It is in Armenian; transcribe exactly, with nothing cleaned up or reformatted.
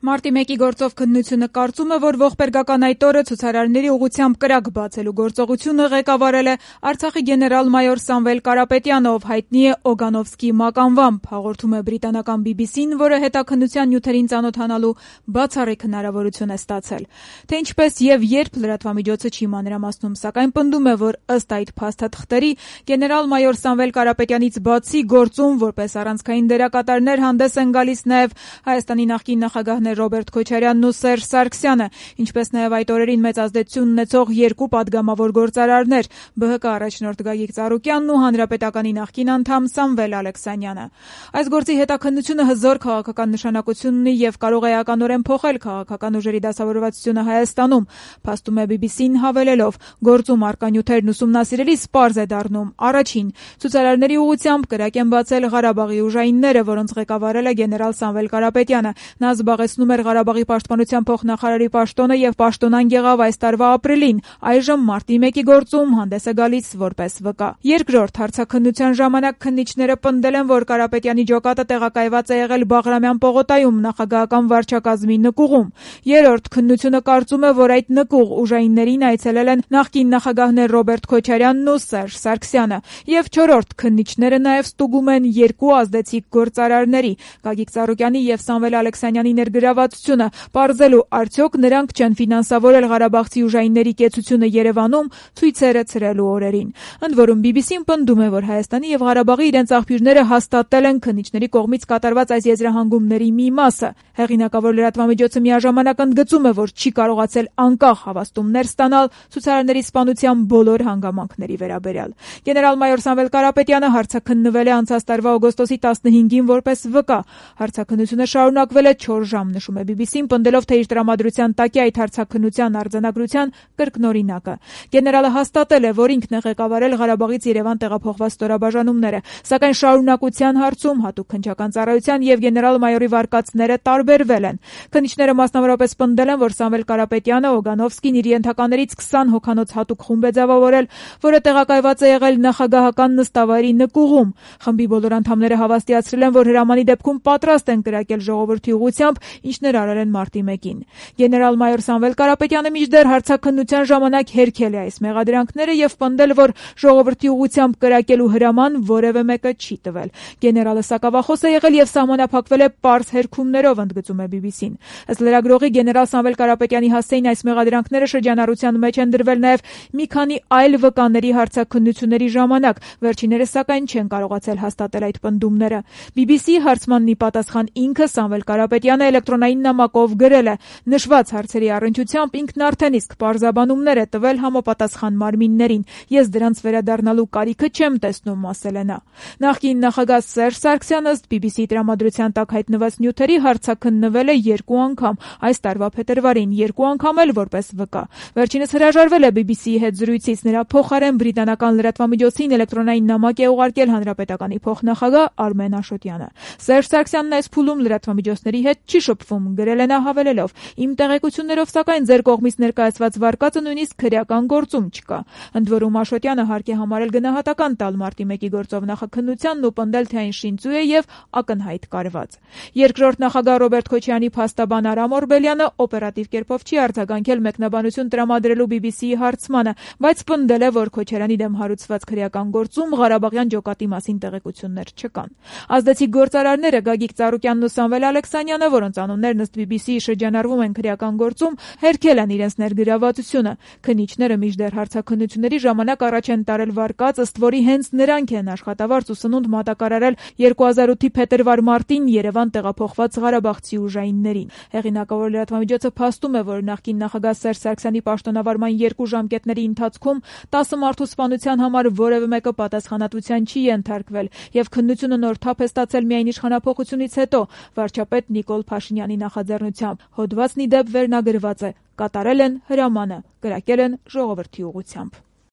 Մարտի մեկի գործով քննությունը կարծում է, որ ողբերգական այդ օրը ցուցարարների ուղղությամբ կրակ բացելու գործողությունը ղեկավարել է Արցախի գեներալ-մայոր Սամվել Կարապետյանը, ով հայտնի է Օգանովսկի մականվամբ, հաղորդում է բրիտանական բի բի սին, որը հետաքննության նյութերին ծանոթանալու բացառիկ հնարավորություն է ստացել։ Թե ինչպես եւ երբ լրատվամիջոցը չի մանրամասնում, սակայն պնդում է, որ ըստ այդ փաստաթղթերի գեներալ-մայոր Սամվել Կարապետյանից բացի գործում որպես առանցքային դերակատարներ հանդես են գալիս նաեւ Հայաստանի նախկին նախագահներ Ռոբերտ Քոչարյանն ու Սերժ Սարգսյանը, ինչպես նաև այդ օրերին մեծ ազդեցություն ունեցող երկու падգամավոր գործարարներ՝ բը հը կա առաջնորդ Գագիկ Ծառուկյանն ու Հանրապետականի նախկին անդամ Սամվել Ալեքսանյանը։ Այս գործի հետաքննությունը հզոր քաղաքական նշանակություն ունի եւ կարող է էականորեն փոխել քաղաքական ուժերի դասավորվածությունը Հայաստանում, փաստում է բի բի սին հավելելով. գործում առկա նյութերն ուսումնասիրելիս պարզ է դառնում. առաջին, ցուցարարների ուղղությամբ կրակ են բացել Ղարաբաղի ուժայինները, որոնց ղեկավարել է գեներալ Սամվել Կարապետյանը։ Նա զբաղեցնում էր Ղարաբաղի պաշտպանության փոխնախարարի պաշտոնը եւ պաշտոնան եղավ այս տարվա ապրիլին, այժմ մարտի մեկի գործում հանդես է գալիս որպես վկա։ Երկրորդ, հարցաքննության ժամանակ քննիչները պնդել են, որ Կարապետյանի ջոկատը տեղակայված է եղել Բաղրամյան պողոտայում նախագահական վարչակազմի նկուղում։ Երրորդ, քննությունը կարծում է, որ այդ նկուղ ուժայիններին այցելել են նախկին նախագահներ Ռոբերտ Քոչարյանն ու Սերժ Սարգսյանը։ Եվ չորրորդ, քննիչները նաեւ ստուգում են երկու ազդեցիկ գործարարների՝ Գագիկ Ծառուկյանի եւ Սամվել Ալեքսանյանի ներգրավվածությունը, պարզելու արդյոք նրանք չեն ֆինանսավորել ղարաբաղցի ուժայինների կեցությունը Երևանում ցույցերը ցրելու օրերին։ Ընդ որում բի բի սին պնդում է, որ Հայաստանի եւ Ղարաբաղի իրենց աղբյուրները հաստատել են քննիչների կողմից կատարված այս եզրահանգումների մի մասը։ Հեղինակավոր լրատվամիջոցը միաժամանակ ընդգծում է, որ չի կարողացել անկախ հավաստումներ ստանալ ցուցարարների սպանության բոլոր հանգամանքների վերաբերյալ։ Գեներալ-մայոր Սամվել Կարապետյանը հարցաքննվել է անցած տարվա օգոստոսի տասնհինգին որպես վկա։ Հարցաքննությունը շարունակվել է չորս ժամ, նշում է բի բի սին, պնդելով, թե իր տրամադրության տակ է այդ հարցաքննության արձանագրության կրկնօրինակը։ Գեներալը հաստատել է, որ ինքն է ղեկավարել Ղարաբաղից Երևան տեղափոխված ստորաբաժանումները, սակայն շարունակության հարցում հատուկ քննչական ծառայության եւ գեներալ-մայորի վարկածները տարբերվել են։ Քննիչները մասնավորապես պնդել են, որ Սամվել Կարապետյանը Օգանովսկին իր ենթականերից քսան հոգանոց հատուկ խումբ է ձևավորել, որը տեղակայված է եղել նախագահական նստավայրի նկուղում։ Խմբի բոլոր անդամները հավաստիացրել են, որ հրամանի դեպքում պատրաստ են կրակել ժողովրդի ուղղությամբ, ինչներ արել են մարտի մեկին։ Գեներալ-մայոր Սամվել Կարապետյանը մինչդեռ հարցաքննության ժամանակ հերքել է այս մեղադրանքները եւ պնդել, որ ժողովրդի ուղղությամբ կրակելու հրաման որևէ մեկը չի տվել։ Գեներալը սակավախոս է եղել եւ սահմանափակվել է պարզ հերքումներով, ընդգծում է բի բի սին։ Ըստ լրագրողի, գեներալ Սամվել Կարապետյանի հասցեին այս մեղադրանքները շրջանառության մեջ են դրվել նաեւ մի քանի այլ վկաների հարցաքննությունների ժամանակ, վերջիններս սակայն չեն կարողացել հաստատել այդ պնդումները։ բի բի սի հարցմանն ի պատասխան ինքը Սամվել Կարապետյանը էլեկտրոնային նամակով գրել է. նշված հարցերի առնչությամբ ինքն արդեն իսկ պարզաբանումներ է տվել համապատասխան մարմիններին։ Ես դրանց վերադառնալու կարիքը չեմ տեսնում, ասել է նա։ Նախկին նախագահ Սերժ Սարգսյանը ըստ բի բի սի տրամադրության տակ հայտնված նյութերի հարցաքննվել է երկու անգամ, այս տարվա փետրվարին, երկու անգամ էլ որպես վկա։ Վերջինս հրաժարվել է բի բի սիի հետ զրույցից, նրա փոխարեն բրիտանական լրատվամիջոցին էլեկտրոնային նամակ է ուղարկել հանրապետականի փոխնախագահ Արմեն Աշոտյանը։ Սերժ Սարգսյանն այս փուլում լրատվամիջոցների հետ չի շփվում, գրել է նա հավելելով. իմ տեղեկություններով սակայն ձեր կողմից ներկայացված վարկածը նույնիսկ քրեական գործում չկա։ Ընդ որում Աշոտյանը հարկ է համարել գնահատական տալ մարտի մեկի գործով նախաքննությանն ու պնդել, թե այն շինծու է եւ ակնհայտ կարված։ Երկրորդ նախագահ Ռոբերտ Քոչարյանի փաստաբան Արամ Օրբելյանը օպերատիվ կերպով չի արձագանքել մեկնաբանություն տրամադրելու բի բի սիի հարցմանը, բայց պնդել է, որ Քոչարյանի դեմ հարուցված քրեական գործում Ղարաբաղյան ջոկատի մասին տեղեկություններ չկան։ Ազդեցիկ գործարարները Գագիկ Ծառուկյանն ու Սամվել Ալեքսանյանը, որոնց անուններն ըստ բի բի սիի շրջանառվում են քրեական գործում, հերքել են իրենց ներգրավվածությունը։ Քննիչները մինչդեռ հարցաքննությունների ժամանակ առաջ են տարել վարկած, ըստ որի հենց նրանք են աշխատավարձ ու սնունդ մատակարարել երկու հազար ութի փետրվար-մարտին Երևան տեղափոխված ղարաբաղցի ուժայիններին։ Հեղինակավոր լրատվամիջոցը փաստում է, որ նախկին նախագահ Սերժ Սարգսյանի պաշտոնավարման երկու ժամկետների ընթացքում տասը մարդու սպանության համար որևէ մեկը պատասխանատվության չի ենթարկվել եւ քննությունը նոր թափ է ստացել միայն իշխանափոխությունից հետո վարչապետ Նիկոլ Փաշինյանի նախաձեռնությամբ։ Հոդվածն ի դեպ վերնագրված է. կատարել են հրամանը, կրակել են ժողովրդի ուղղությամբ։